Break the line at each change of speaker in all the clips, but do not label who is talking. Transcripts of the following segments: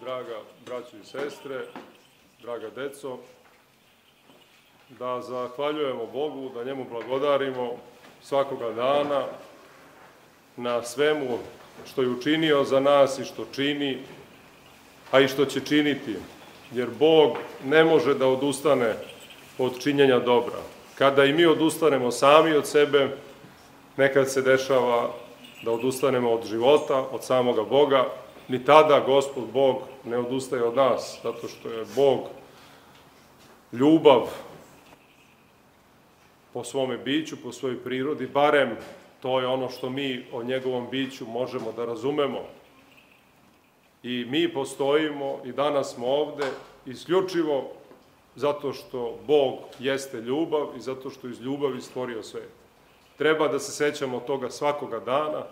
draga braćo i sestre, draga deco, da zahvaljujemo Bogu, da njemu blagodarimo svakoga dana na svemu što je učinio za nas i što čini, a i što će činiti, jer Bog ne može da odustane od činjenja dobra. Kada i mi odustanemo sami od sebe, nekad se dešava da odustanemo od života, od samoga Boga, ni tada Gospod Bog ne odustaje od nas, zato što je Bog ljubav po svome biću, po svojoj prirodi, barem to je ono što mi o njegovom biću možemo da razumemo. I mi postojimo i danas smo ovde isključivo zato što Bog jeste ljubav i zato što iz ljubavi stvorio svet. Treba da se sećamo toga svakoga dana,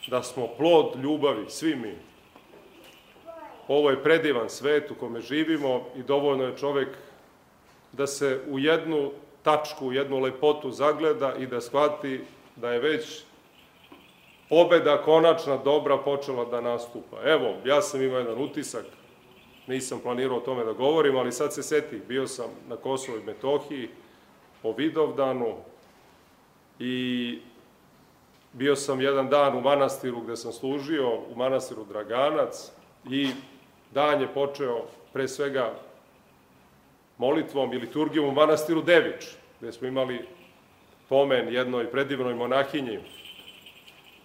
da smo plod ljubavi, svi mi. Ovo je predivan svet u kome živimo i dovoljno je čovek da se u jednu tačku, u jednu lepotu zagleda i da shvati da je već pobeda konačna dobra počela da nastupa. Evo, ja sam imao jedan utisak, nisam planirao o tome da govorim, ali sad se setih, bio sam na Kosovu i Metohiji po Vidovdanu i bio sam jedan dan u manastiru gde sam služio, u manastiru Draganac, i dan je počeo pre svega molitvom i liturgijom u manastiru Devič, gde smo imali pomen jednoj predivnoj monahinji,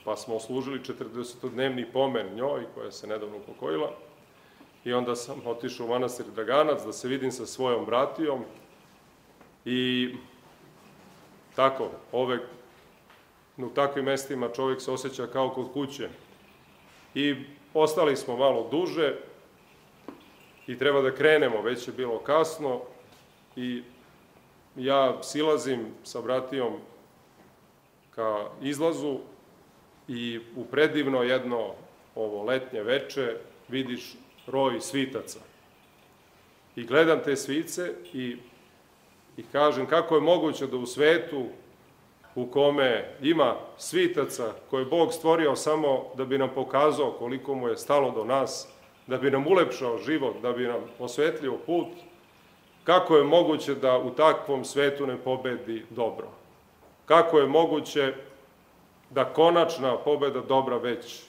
pa smo služili 40-dnevni pomen njoj, koja se nedavno upokojila, i onda sam otišao u manastir Draganac da se vidim sa svojom bratijom i tako, u takvim mestima čovjek se osjeća kao kod kuće. I ostali smo malo duže i treba da krenemo, već je bilo kasno i ja silazim sa bratijom ka izlazu i u predivno jedno ovo letnje veče vidiš roj svitaca. I gledam te svice i kažem kako je moguće da u svetu u kome ima svitaca koje je Bog stvorio samo da bi nam pokazao koliko mu je stalo do nas, da bi nam ulepšao život, da bi nam osvetlio put, kako je moguće da u takvom svetu ne pobedi dobro? Kako je moguće da konačna pobeda dobra već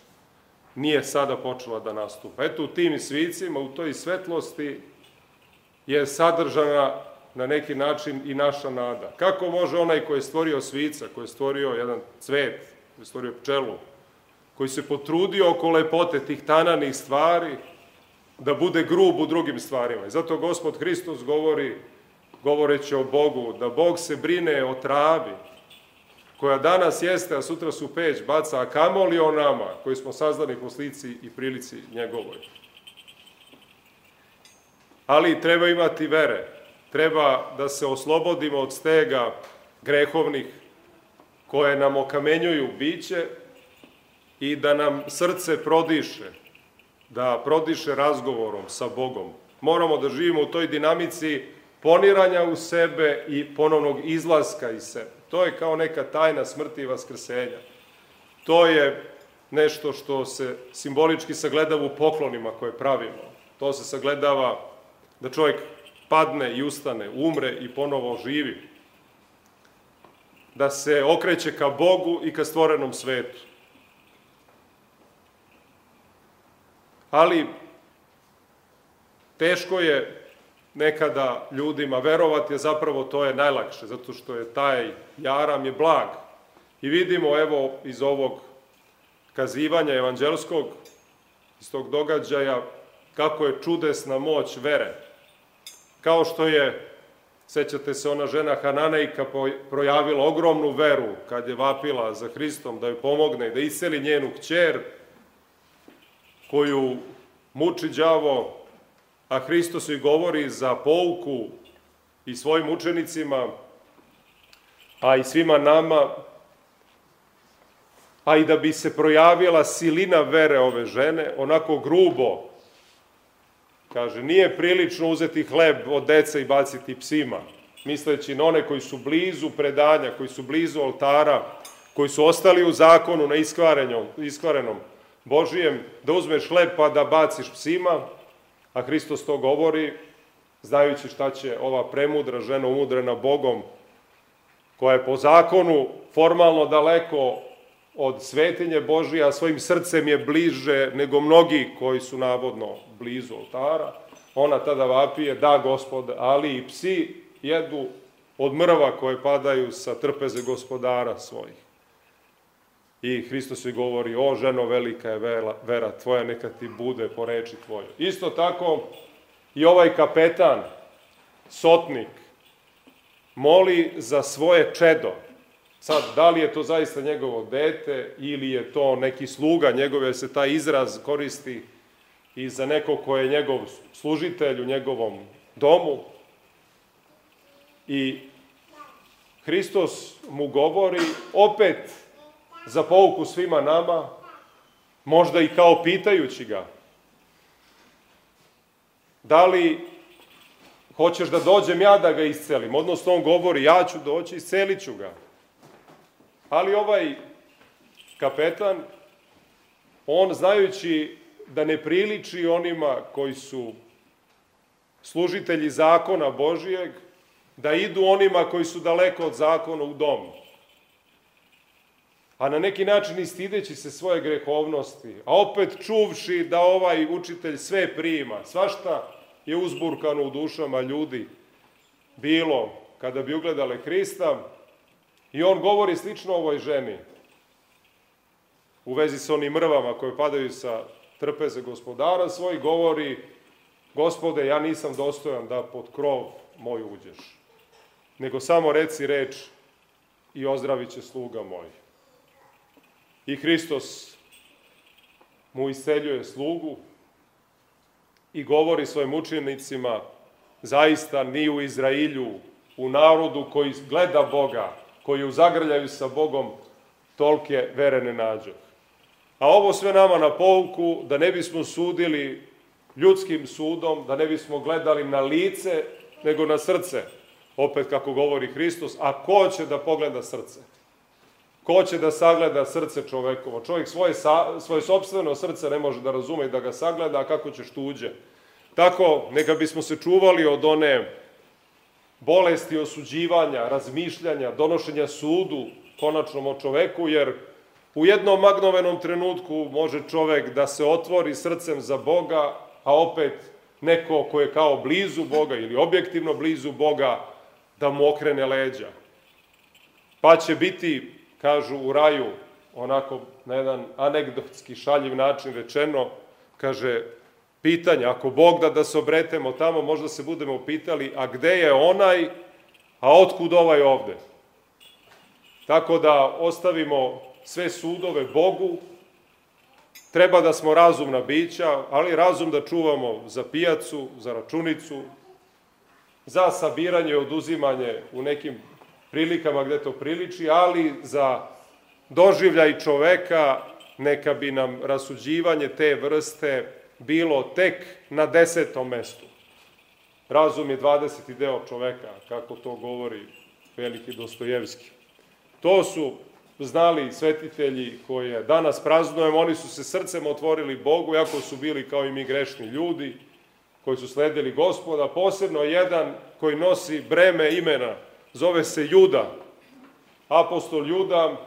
nije sada počela da nastupa? Eto, u tim svicima, u toj svetlosti je sadržana na neki način i naša nada. Kako može onaj koji je stvorio svica, koji je stvorio jedan cvet, koji je stvorio pčelu, koji se potrudio oko lepote tih tananih stvari, da bude grub u drugim stvarima? I zato Gospod Hristos govori, govoreći o Bogu, da Bog se brine o travi, koja danas jeste, a sutra su peć baca, a kamoli o nama, koji smo sazdani po slici i prilici njegovoj. Ali treba imati vere. Treba da se oslobodimo od stega grehovnih koje nam okamenjuju biće i da nam srce prodiše, da prodiše razgovorom sa Bogom. Moramo da živimo u toj dinamici poniranja u sebe i ponovnog izlaska iz sebe. To je kao neka tajna smrti i vaskrsenja. To je nešto što se simbolički sagledava u poklonima koje pravimo. To se sagledava da čovjek padne i ustane, umre i ponovo živi. Da se okreće ka Bogu i ka stvorenom svetu. Ali teško je nekada ljudima verovati, a zapravo to je najlakše, zato što je taj jaram je blag. I vidimo, evo, iz ovog kazivanja evanđelskog, iz tog događaja, kako je čudesna moć vere. Kao što je, sećate se, ona žena Hananejka projavila ogromnu veru kad je vapila za Hristom da joj pomogne i da isceli njenu kćer, koju muči đavo, a Hristos joj govori za pouku i svojim učenicima, a i svima nama, a i da bi se projavila silina vere ove žene, onako grubo, kaže, nije prilično uzeti hleb od deca i baciti psima, misleći na one koji su blizu predanja, koji su blizu oltara, koji su ostali u zakonu na iskvarenom, Božijem, da uzmeš hleb pa da baciš psima, a Hristos to govori, znajući šta će ova premudra žena umudrena Bogom, koja je po zakonu formalno daleko od svetinje Božije, a svojim srcem je bliže nego mnogi koji su navodno blizu oltara, ona tada vapije, da Gospod, ali i psi jedu od mrva koje padaju sa trpeze gospodara svojih. I Hristos joj govori, o ženo, velika je vera tvoja, neka ti bude po reči tvojoj. Isto tako i ovaj kapetan, sotnik, moli za svoje čedo. Sad, da li je to zaista njegovo dete ili je to neki sluga njegov, jer se taj izraz koristi i za nekog ko je njegov služitelj u njegovom domu. I Hristos mu govori, opet za pouku svima nama, možda i kao pitajući ga, da li hoćeš da dođem ja da ga iscelim? Odnosno, on govori, ja ću doći, iscelit ću ga. Ali ovaj kapetan, on znajući da ne priliči onima koji su služitelji zakona Božijeg, da idu onima koji su daleko od zakona u dom. A na neki način i stideći se svoje grehovnosti, a opet čuvši da ovaj učitelj sve prima, svašta je uzburkano u dušama ljudi bilo kada bi ugledale Hrista, i on govori slično ovoj ženi u vezi sa onim mrvama koje padaju sa trpeze gospodara svoj, govori, Gospode, ja nisam dostojan da pod krov moj uđeš, nego samo reci reč i ozdravit će sluga moj. I Hristos mu isceljuje slugu i govori svojim učenicima, zaista ni u Izrailju, u narodu koji gleda Boga, koji u zagrljaju sa Bogom, tolike vere ne nađu. A ovo sve nama na pouku, da ne bismo sudili ljudskim sudom, da ne bismo gledali na lice, nego na srce. Opet kako govori Hristos, a ko će da pogleda srce? Ko će da sagleda srce čovekovo? Čovjek svoje sopstveno srce ne može da razume i da ga sagleda, a kako ćeš tuđe? Tako, neka bismo se čuvali od one bolesti osuđivanja, razmišljanja, donošenja sudu konačnom o čoveku, jer u jednom magnovenom trenutku može čovek da se otvori srcem za Boga, a opet neko ko je kao blizu Boga ili objektivno blizu Boga, da mu okrene leđa. Pa će biti, kažu u raju, onako na jedan anegdotski šaljiv način rečeno, kaže, pitanje, ako Bog da se obretemo tamo, možda se budemo pitali, a gde je onaj, a otkud ovaj ovde? Tako da ostavimo sve sudove Bogu, treba da smo razumna bića, ali razum da čuvamo za pijacu, za računicu, za sabiranje i oduzimanje u nekim prilikama gde to priliči, ali za doživljaj čoveka neka bi nam rasuđivanje te vrste bilo tek na 10. mestu. Razum je 20. deo čoveka, kako to govori veliki Dostojevski. To su znali svetitelji koje danas praznujemo, oni su se srcem otvorili Bogu, iako su bili kao i mi grešni ljudi, koji su sledili Gospoda, posebno jedan koji nosi breme imena, zove se Juda, apostol Juda,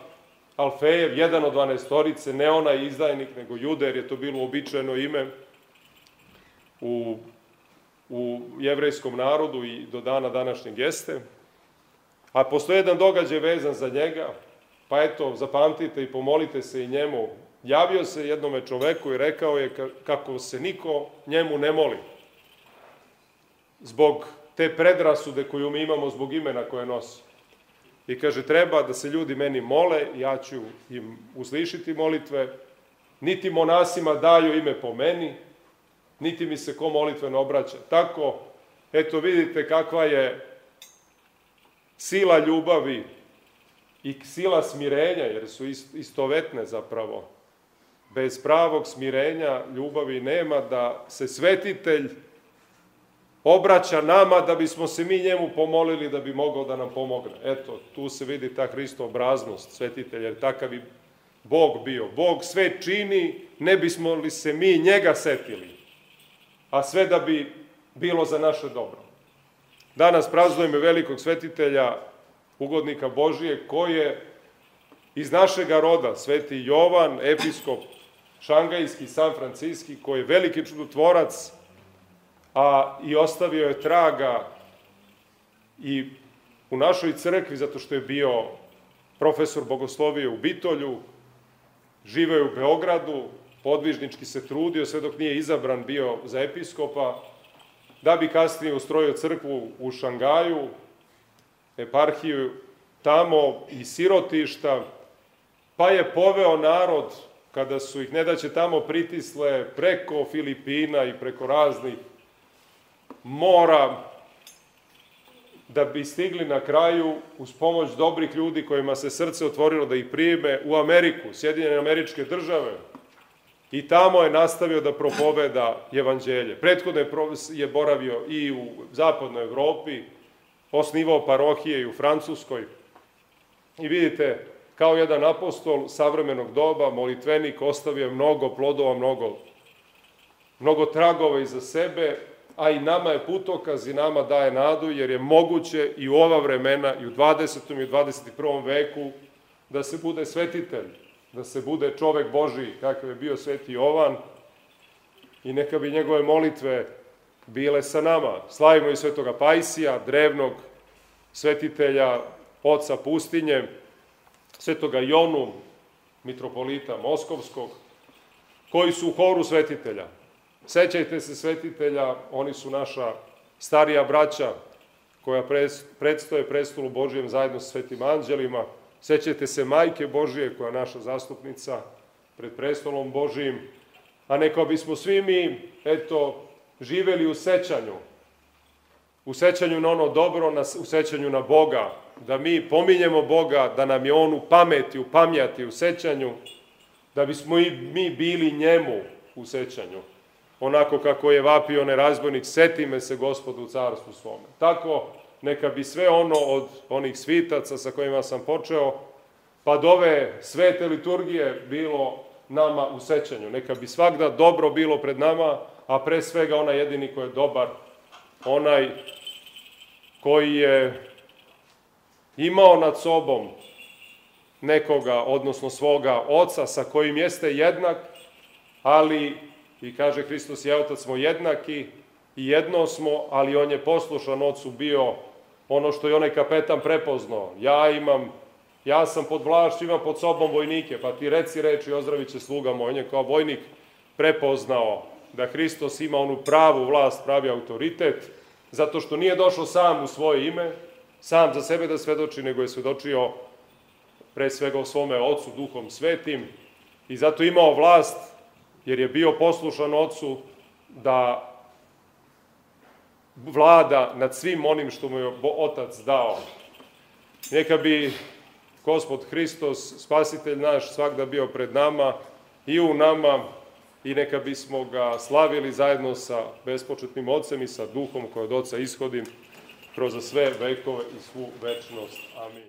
Alfejev, jedan od 12-torice, ne onaj izdajnik, nego Juda, jer je to bilo uobičajeno ime u jevrejskom narodu i do dana današnjeg jeste. A postoji jedan događaj vezan za njega, pa eto, zapamtite i pomolite se i njemu. Javio se jednome čoveku i rekao je kako se niko njemu ne moli, zbog te predrasude koju mi imamo zbog imena koje nosi. I kaže, treba da se ljudi meni mole, ja ću im uslišiti molitve, niti monasima daju ime po meni, niti mi se ko molitveno obraća. Tako, eto vidite kakva je sila ljubavi i sila smirenja, jer su istovetne zapravo. Bez pravog smirenja ljubavi nema, da se svetitelj obraća nama da bismo se mi njemu pomolili da bi mogao da nam pomogne. Eto, tu se vidi ta Hristoobraznost svetitelja, jer takav i Bog bio. Bog sve čini, ne bismo li se mi njega setili, a sve da bi bilo za naše dobro. Danas praznujemo velikog svetitelja, ugodnika Božije, koji je iz našega roda, sveti Jovan, episkop šangajski, San Franciski, koji je veliki čudotvorac, a i ostavio je traga i u našoj crkvi, zato što je bio profesor bogoslovije u Bitolju, živeo je u Beogradu, podvižnički se trudio, sve dok nije izabran bio za episkopa, da bi kasnije ustrojio crkvu u Šangaju, eparhiju tamo i sirotišta, pa je poveo narod, kada su ih nedaće tamo pritisle, preko Filipina i preko raznih mora, da bi stigli na kraju, uz pomoć dobrih ljudi kojima se srce otvorilo da ih prime, u Ameriku, Sjedinjene Američke Države, i tamo je nastavio da propoveda evanđelje. Prethodno je boravio i u zapadnoj Evropi, osnivao parohije i u Francuskoj. I vidite, kao jedan apostol savremenog doba, molitvenik, ostavio je mnogo plodova, mnogo tragova iza sebe, a i nama je putokaz i nama daje nadu, jer je moguće i u ova vremena, i u 20. i u 21. veku, da se bude svetitelj, da se bude čovek Božiji, kakav je bio sveti Jovan, i neka bi njegove molitve bile sa nama. Slavimo i svetoga Pajsija, drevnog svetitelja, oca pustinje, svetoga Jonu, mitropolita Moskovskog, koji su u horu svetitelja. Sećajte se svetitelja, oni su naša starija braća koja predstoje prestolu Božijem zajedno sa svetim anđelima. Sećajte se Majke Božije, koja je naša zastupnica pred prestolom Božijim, a neka bismo svi mi, živeli u sećanju na ono dobro, u sećanju na Boga, da mi pominjemo Boga, da nam je On u pameti, u pamjati, u sećanju, da bismo i mi bili njemu u sećanju. Onako kako je vapio onaj razbojnik, seti me se Gospodu u carstvu svome. Tako, neka bi sve ono od onih svitaca sa kojima sam počeo, pa do ove svete liturgije bilo nama u sećanju. Neka bi svakda dobro bilo pred nama, a pre svega onaj jedini koji je dobar, onaj koji je imao nad sobom nekoga, odnosno svoga oca, sa kojim jeste jednak, ali, i kaže Hristos i Otac smo jednaki i jedno smo, ali on je poslušan ocu bio ono što je onaj kapetan prepoznao. Ja sam pod vlašću, imam pod sobom vojnike, pa ti reci reči i ozdravit će sluga moj. On je kao vojnik prepoznao da Hristos ima onu pravu vlast, pravi autoritet, zato što nije došao sam u svoje ime, sam za sebe da svedoči, nego je svedočio pre svega o svome Ocu, Duhom Svetim, i zato imao vlast, jer je bio poslušan Ocu da vlada nad svim onim što mu je Otac dao. Neka bi Gospod Hristos, Spasitelj naš, svakda bio pred nama i u nama, i neka bismo ga slavili zajedno sa bespočetnim Ocem i sa Duhom koji od Oca ishodi kroz sve vekove i svu večnost. Amin.